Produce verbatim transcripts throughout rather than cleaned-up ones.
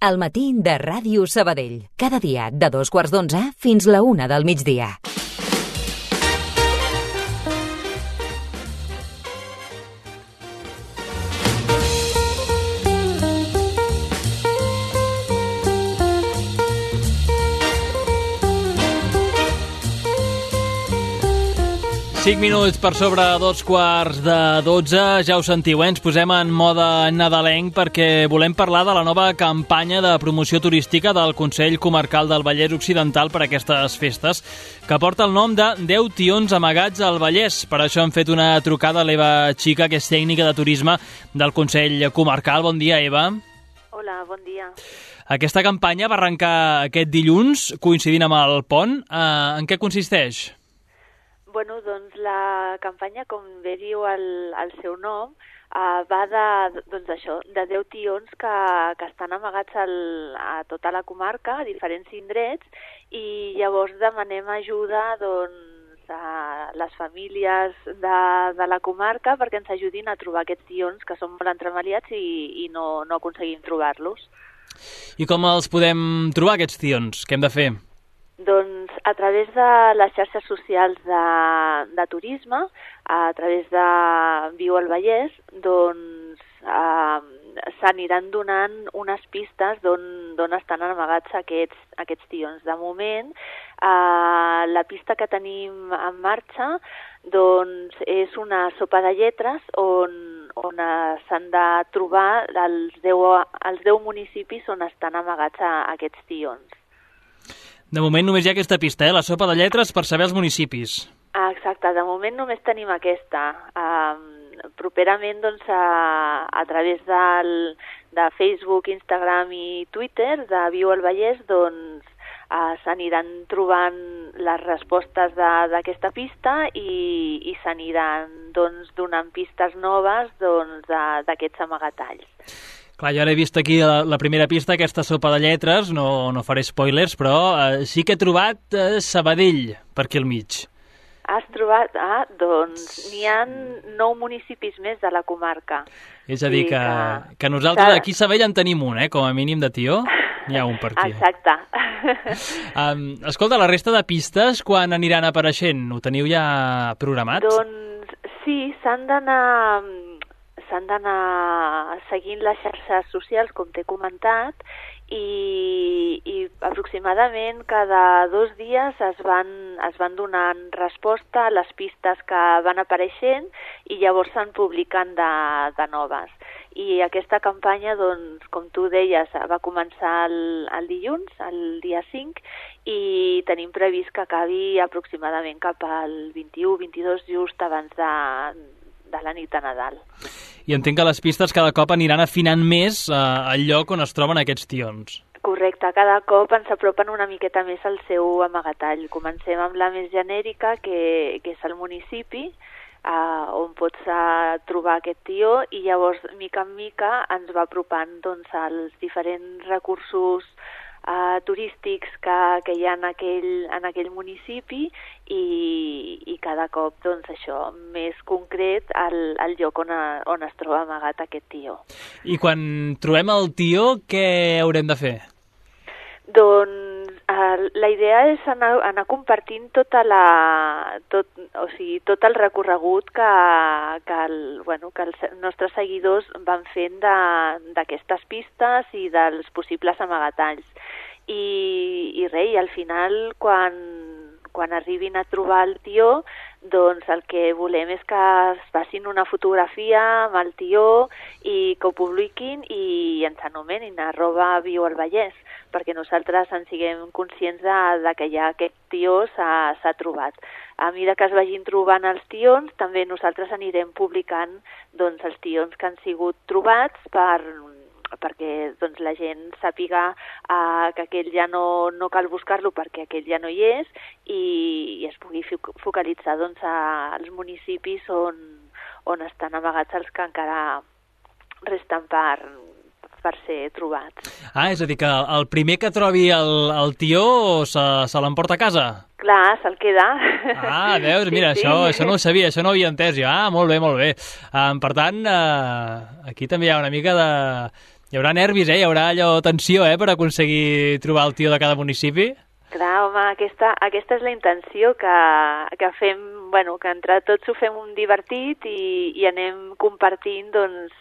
al matí de Ràdio Sabadell. Cada dia de dos quarts d'onze fins la una del migdia. cinc minuts per sobre dos quarts de dotze, ja ho sentiu, eh? Ens posem en mode nadalenc perquè volem parlar de la nova campanya de promoció turística del Consell Comarcal del Vallès Occidental per a aquestes festes, que porta el nom de deu tions amagats al Vallès. Per això hem fet una trucada a l'Eva Xica, que és tècnica de turisme del Consell Comarcal. Bon dia, Eva. Hola, bon dia. Aquesta campanya va arrencar aquest dilluns, coincidint amb el pont. Uh, en què consisteix? Bueno, doncs la campanya, com bé diu el, el seu nom, uh, va de, doncs això, de deu tions que, que estan amagats al, a tota la comarca, a diferents indrets, i llavors demanem ajuda doncs, a les famílies de, de la comarca perquè ens ajudin a trobar aquests tions que són molt entremaliats i, i no, no aconseguim trobar-los. I com els podem trobar, aquests tions? Què hem de fer? Doncs a través de les xarxes socials de, de turisme, a través de Viu al Vallès, doncs eh, s'aniran donant unes pistes d'on estan amagats aquests, aquests tions. De moment, eh, la pista que tenim en marxa doncs, és una sopa de lletres on, on s'han de trobar els deu, els deu municipis on estan amagats a, aquests tions. De moment només hi ha aquesta pista, eh? La sopa de lletres per saber els municipis. Ah, exacte, de moment només tenim aquesta. Um, properament, doncs, a, a través del, de Facebook, Instagram i Twitter de Viu al Vallès, doncs, uh, s'aniran trobant les respostes d'aquesta pista i, i s'aniran doncs, donant pistes noves doncs, d'aquests amagatalls. Clar, jo ara he vist aquí la, la primera pista, aquesta sopa de lletres, no, no faré spoilers, però eh, sí que he trobat eh, Sabadell per aquí al mig. Has trobat? Ah, doncs n'hi ha nou municipis més de la comarca. És a dir, que, que... que nosaltres aquí a Sabadell en tenim un, eh, com a mínim de tió, n'hi ha un per aquí. Exacte. um, escolta, la resta de pistes, quan aniran apareixent? Ho teniu ja programat? Doncs sí, s'han d'anar... s'han d'anar seguint les xarxes socials, com t'he comentat, i, i aproximadament cada dos dies es van, es van donant resposta a les pistes que van apareixent i llavors se'n publiquen de, de noves. I aquesta campanya, doncs, com tu deies, va començar el, el dilluns, el dia cinc, i tenim previst que acabi aproximadament cap al vint-i-u vint-i-dos, just abans de, de la nit de Nadal. I entenc que les pistes cada cop aniran afinant més eh, el lloc on es troben aquests tions. Correcte, cada cop ens apropen una miqueta més al seu amagatall. Comencem amb la més genèrica, que, que és el municipi, eh, on pots eh, trobar aquest tió, i llavors, mica en mica, ens va apropant doncs, als diferents recursos Uh, turístics que, que hi ha en aquell, en aquell municipi i, i cada cop doncs, això més concret al, al lloc on, a, on es troba amagat aquest tió. I quan trobem el tió, què haurem de fer? Doncs uh, la idea és anar, anar compartint tota la, tot, o sigui, tot el recorregut que, que, el, bueno, que els nostres seguidors van fent d'aquestes pistes i dels possibles amagatalls. I, i res, i al final, quan, quan arribin a trobar el tió, doncs el que volem és que es facin una fotografia amb el tió i que ho publiquin i ens anomenin arroba Viu al Vallès, perquè nosaltres en siguem conscients de, de que ja aquest tió s'ha trobat. A mesura que es vagin trobant els tions, també nosaltres anirem publicant doncs, els tions que han sigut trobats per... perquè doncs, la gent sàpiga uh, que aquell ja no, no cal buscar-lo perquè aquell ja no hi és i, i es pugui focalitzar doncs, als municipis on, on estan amagats els que encara resten per, per ser trobats. Ah, és a dir, que el primer que trobi el, el tió se, se l'emporta a casa? Clar, se'l queda. Ah, veus, mira, sí, això, sí. això no ho sabia, això no ho havia entès jo. Ah, molt bé, molt bé. Um, per tant, uh, aquí també hi ha una mica de, Hi haurà nervis, eh? Hi haurà allò tensió, eh?, per aconseguir trobar el tió de cada municipi. Clar, home, aquesta, aquesta és la intenció, que, que fem, bueno, que entre tots ho fem un divertit i, i anem compartint, doncs,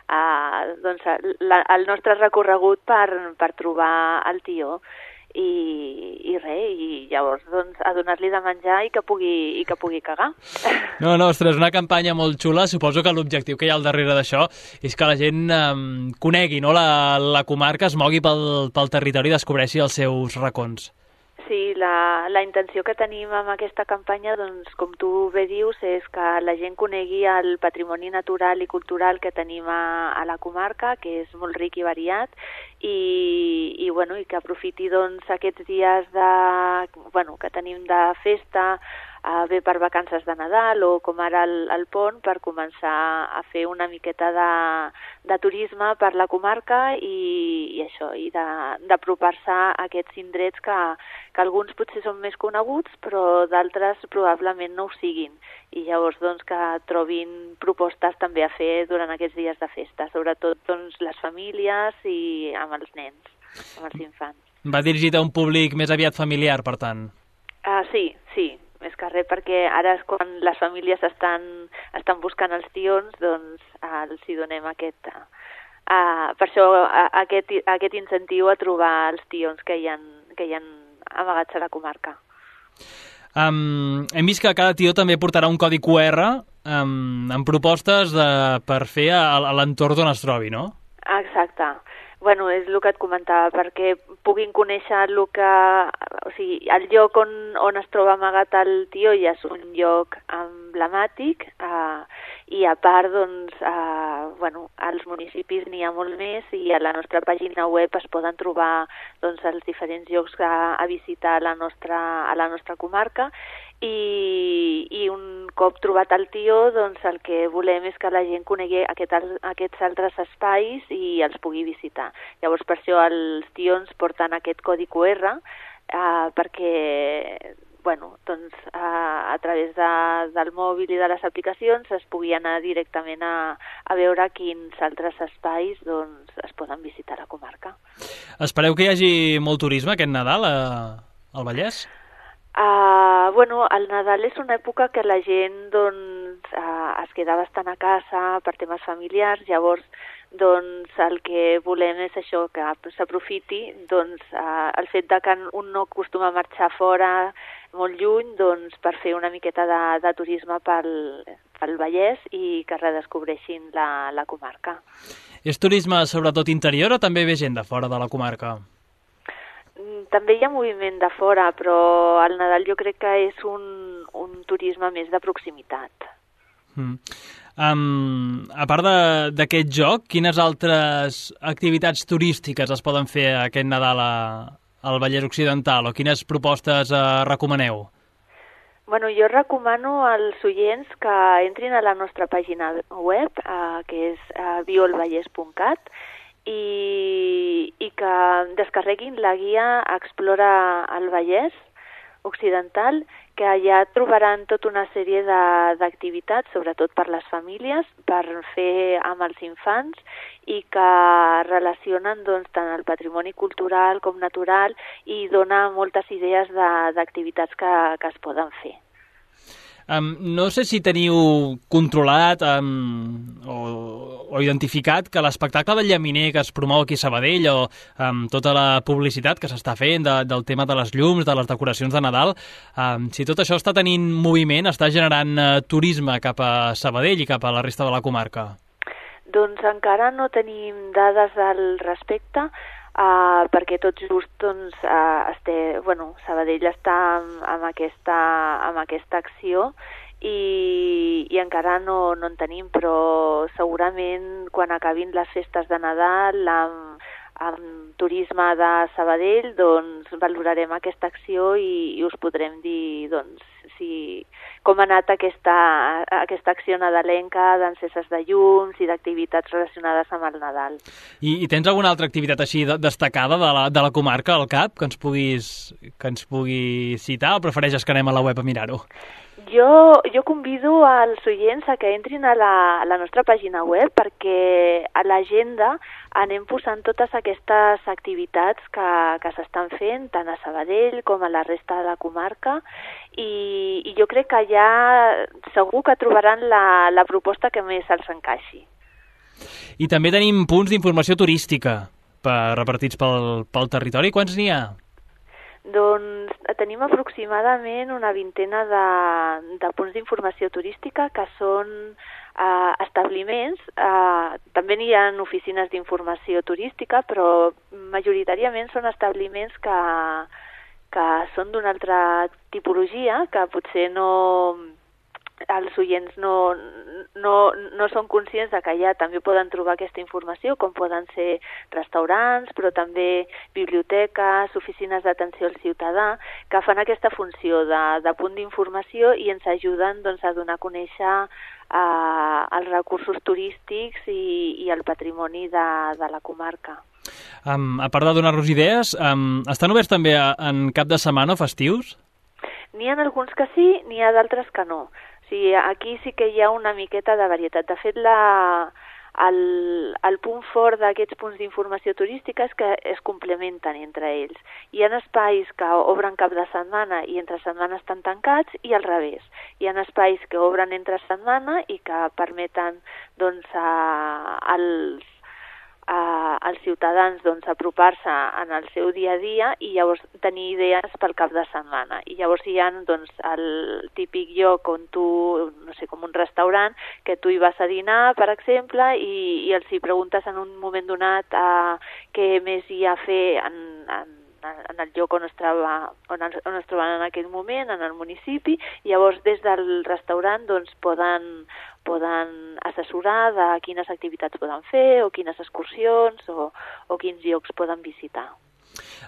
uh, doncs la, el nostre recorregut per, per trobar el tió. I, i res, i llavors doncs, a donar-li de menjar i que pugui, i que pugui cagar. No, no, ostres, una campanya molt xula. Suposo que l'objectiu que hi ha al darrere d'això és que la gent eh, conegui, no?, la, la comarca, es mogui pel, pel territori i descobreixi els seus racons. Sí, la, la intenció que tenim amb aquesta campanya, doncs, com tu bé dius, és que la gent conegui el patrimoni natural i cultural que tenim a, a la comarca, que és molt ric i variat, i, i, bueno, i que aprofiti, doncs, aquests dies de, bueno, que tenim de festa, eh, bé per vacances de Nadal o com ara el, el pont, per començar a fer una miqueta de, de turisme per la comarca i, i això, i d'apropar-se a aquests indrets que, que alguns potser són més coneguts, però d'altres probablement no ho siguin. I llavors, doncs, que trobin propostes també a fer durant aquests dies de festa, sobretot, doncs, les famílies i amb els nens, amb els infants. Va dirigit a un públic més aviat familiar, per tant. Uh, sí, sí, més que res, perquè ara és quan les famílies estan, estan buscant els tions, doncs uh, els hi donem aquest... Uh, per això uh, aquest, aquest incentiu a trobar els tions que hi ha, que hi ha amagats a la comarca. Um, hem vist que cada tió també portarà un codi cu erre um, amb propostes de, per fer a, a l'entorn on es trobi, no? Exacte. Bueno, és el que et comentava, perquè puguin conèixer el que... O sigui, el lloc on, on es troba amagat el tió ja és un lloc emblemàtic, eh, i a part, doncs, eh, bueno, als municipis n'hi ha molt més i a la nostra pàgina web es poden trobar, doncs, els diferents llocs a, a visitar a la nostra, a la nostra comarca. I, i un cop trobat el tió, doncs el que volem és que la gent conegui aquest, aquests altres espais i els pugui visitar. Llavors, per això els tions porten aquest codi cu erre, eh, perquè, bueno, doncs, eh, a través de, del mòbil i de les aplicacions es pugui anar directament a, a veure quins altres espais, doncs, es poden visitar a la comarca. Espereu que hi hagi molt turisme aquest Nadal a, al Vallès? Uh, bueno, el Nadal és una època que la gent, doncs, uh, es queda bastant a casa per temes familiars, llavors, doncs, el que volem és això, que s'aprofiti, doncs, uh, el fet de que un no acostuma a marxar fora molt lluny, doncs, per fer una miqueta de, de turisme pel, pel Vallès i que redescobreixin la, la comarca. És turisme sobretot interior o també ve gent de fora de la comarca? També hi ha moviment de fora, però el Nadal jo crec que és un, un turisme més de proximitat. Mm. Um, a part d'aquest joc, quines altres activitats turístiques es poden fer aquest Nadal a, al Vallès Occidental o quines propostes uh, recomaneu? Bueno, jo recomano als oients que entrin a la nostra pàgina web, uh, que és uh, violvallès punt cat, I, i que descarreguin la guia Explora el Vallès Occidental, que allà trobaran tota una sèrie d'activitats, sobretot per les famílies, per fer amb els infants i que relacionen, doncs, tant el patrimoni cultural com natural i dona moltes idees d'activitats que, que es poden fer. Um, no sé si teniu controlat um, o, o identificat que l'espectacle del Llaminer que es promou aquí a Sabadell o um, tota la publicitat que s'està fent de, del tema de les llums, de les decoracions de Nadal, um, si tot això està tenint moviment, està generant uh, turisme cap a Sabadell i cap a la resta de la comarca? Doncs encara no tenim dades al respecte, Uh, perquè tot just, doncs, uh, este, bueno, Sabadell està amb, amb, aquesta, amb aquesta acció i, i encara no, no en tenim, però segurament quan acabin les festes de Nadal amb, amb turisme de Sabadell, doncs valorarem aquesta acció i, i us podrem dir, doncs, si, com ha anat aquesta, aquesta acció nadalenca d'enceses de llums i d'activitats relacionades amb el Nadal. I, i tens alguna altra activitat així de, destacada de la, de la comarca, al cap, que ens puguis, que ens pugui citar, o prefereixes que anem a la web a mirar-ho? Jo, jo convido als oients a que entrin a la, a la nostra pàgina web perquè a l'agenda anem posant totes aquestes activitats que, que s'estan fent tant a Sabadell com a la resta de la comarca i, i jo crec que allà segur que trobaran la, la proposta que més els encaixi. I també tenim punts d'informació turística per, repartits pel, pel territori. Quants n'hi ha? Doncs tenim aproximadament una vintena de, de punts d'informació turística que són eh, establiments. Eh, també n'hi ha oficines d'informació turística, però majoritàriament són establiments que, que són d'una altra tipologia, que potser no... els oients no, no, no són conscients de que allà també poden trobar aquesta informació, com poden ser restaurants, però també biblioteques, oficines d'atenció al ciutadà, que fan aquesta funció de, de punt d'informació i ens ajuden doncs, a donar a conèixer eh, els recursos turístics i, i el patrimoni de, de la comarca. Um, a part de donar-nos idees, um, estan oberts també a, en cap de setmana o festius? N'hi ha alguns que sí, n'hi ha d'altres que no. Sí, aquí sí que hi ha una miqueta de varietat. De fet, la, el, el punt fort d'aquests punts d'informació turística és que es complementen entre ells. Hi ha espais que obren cap de setmana i entre setmana estan tancats i al revés. Hi ha espais que obren entre setmana i que permeten doncs, a, als a, als ciutadans doncs, apropar-se en el seu dia a dia i llavors tenir idees pel cap de setmana. I llavors hi ha doncs, el típic lloc on tu, no sé, com un restaurant, que tu hi vas a dinar, per exemple, i, i els hi preguntes en un moment donat uh, què més hi ha a fer en, en en el lloc on es, troba, on, on es troben en aquell moment, en el municipi, i llavors des del restaurant doncs, poden, poden assessorar de quines activitats poden fer o quines excursions o, o quins llocs poden visitar.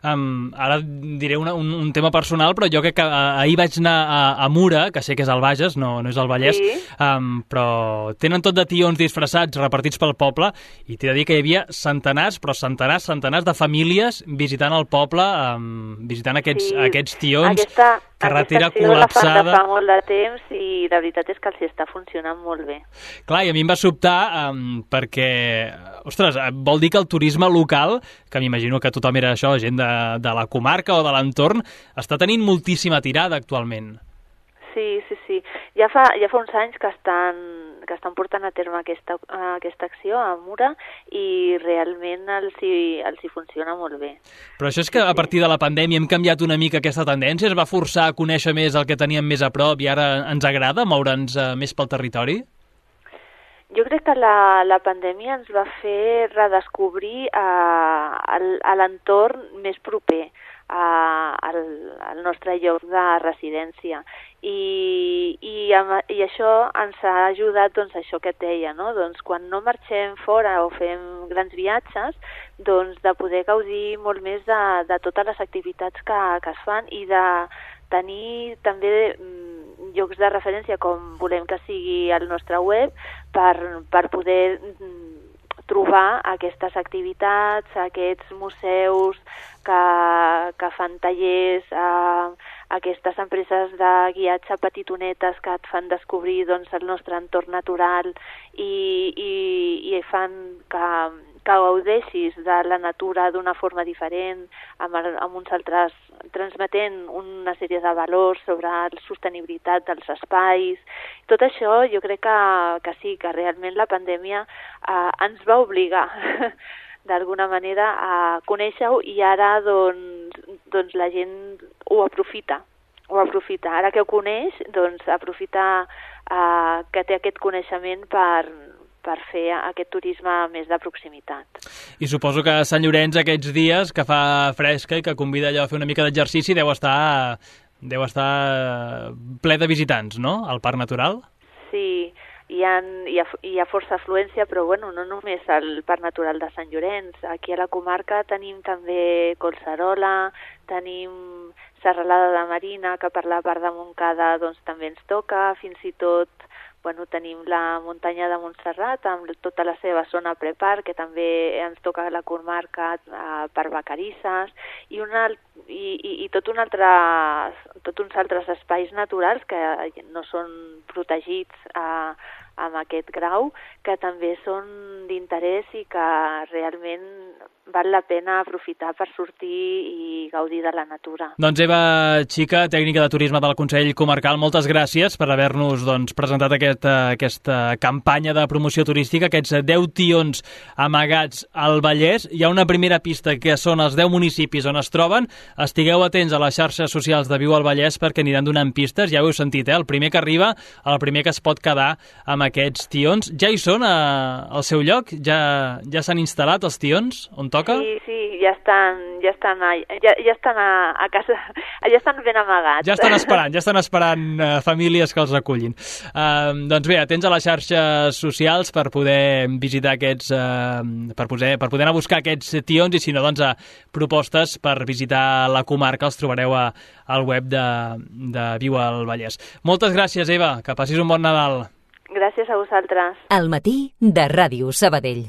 Um, ara diré una, un, un tema personal, però jo crec que uh, ahir vaig anar a, a Mura, que sé que és al Bages, no, no és al Vallès, sí. um, però tenen tot de tions disfressats repartits pel poble i t'he de dir que hi havia centenars, però centenars, centenars de famílies visitant el poble, um, visitant aquests, sí. aquests tions, Aquesta... carretera Aquesta col·lapsada. La fan de fa molt de temps i la veritat és que els està funcionant molt bé. Clar, i a mi em va sobtar um, perquè, ostres, vol dir que el turisme local, que m'imagino que tothom era això, gent de, de la comarca o de l'entorn, està tenint moltíssima tirada actualment. Sí, sí, sí. Ja fa, ja fa uns anys que estan, que estan portant a terme aquesta, aquesta acció a Mura i realment els hi, els hi funciona molt bé. Però això és que a partir de la pandèmia hem canviat una mica aquesta tendència? Es va forçar a conèixer més el que teníem més a prop i ara ens agrada moure'ns més pel territori? Jo crec que la, la pandèmia ens va fer redescobrir uh, l'entorn més proper uh, al, al nostre lloc de residència. I, i, i això ens ha ajudat, doncs, això que et deia, no? Doncs quan no marxem fora o fem grans viatges, doncs de poder gaudir molt més de, de totes les activitats que, que es fan i de tenir també mm, llocs de referència, com volem que sigui el nostre web, per, per poder mm, trobar aquestes activitats, aquests museus que, que fan tallers, eh, aquestes empreses de guiatge petitonetes que et fan descobrir doncs, el nostre entorn natural i, i, i fan que, que gaudeixis de la natura d'una forma diferent, amb, el, amb uns altres, transmetent una sèrie de valors sobre la sostenibilitat dels espais. Tot això jo crec que, que sí, que realment la pandèmia eh, ens va obligar d'alguna manera a conèixer-ho i ara doncs, doncs la gent ho aprofita, ho aprofita. Ara que ho coneix, doncs aprofita eh, que té aquest coneixement per, per fer aquest turisme més de proximitat. I suposo que a Sant Llorenç aquests dies que fa fresca i que convida allò a fer una mica d'exercici deu estar, deu estar ple de visitants, no?, al Parc Natural? Sí, hi ha, hi ha, hi ha força afluència, però bueno, no només al Parc Natural de Sant Llorenç. Aquí a la comarca tenim també Collserola, tenim Serralada de Marina, que per la part de Montcada doncs, també ens toca, fins i tot bueno, tenim la muntanya de Montserrat amb tota la seva zona prepar, que també ens toca la comarca eh, per Vacarisses, i, una, i, i, i tot, un altre, tot uns altres espais naturals que no són protegits eh, amb aquest grau, que també són d'interès i que realment val la pena aprofitar per sortir i gaudir de la natura. Doncs Eva Xica, tècnica de turisme del Consell Comarcal, moltes gràcies per haver-nos doncs, presentat aquesta, aquesta campanya de promoció turística, aquests deu tions amagats al Vallès. Hi ha una primera pista que són els deu municipis on es troben. Estigueu atents a les xarxes socials de Viu al Vallès perquè aniran donant pistes. Ja ho heu sentit, eh? El primer que arriba, el primer que es pot quedar amb aquests tions. Ja hi són a, al seu lloc? Ja, ja s'han instal·lat els tions on toca? Sí, sí, ja estan, ja estan, a, ja, ja estan a, a casa, ja estan ben amagats. Ja estan esperant, ja estan esperant uh, famílies que els recullin. Uh, doncs bé, atents a les xarxes socials per poder visitar aquests, uh, per, poder, per poder anar a buscar aquests tions i si no, doncs a propostes per visitar la comarca els trobareu a, al web de, de Viu al Vallès. Moltes gràcies, Eva, que passis un bon Nadal. Gràcies a vosaltres. Al matí de Ràdio Sabadell.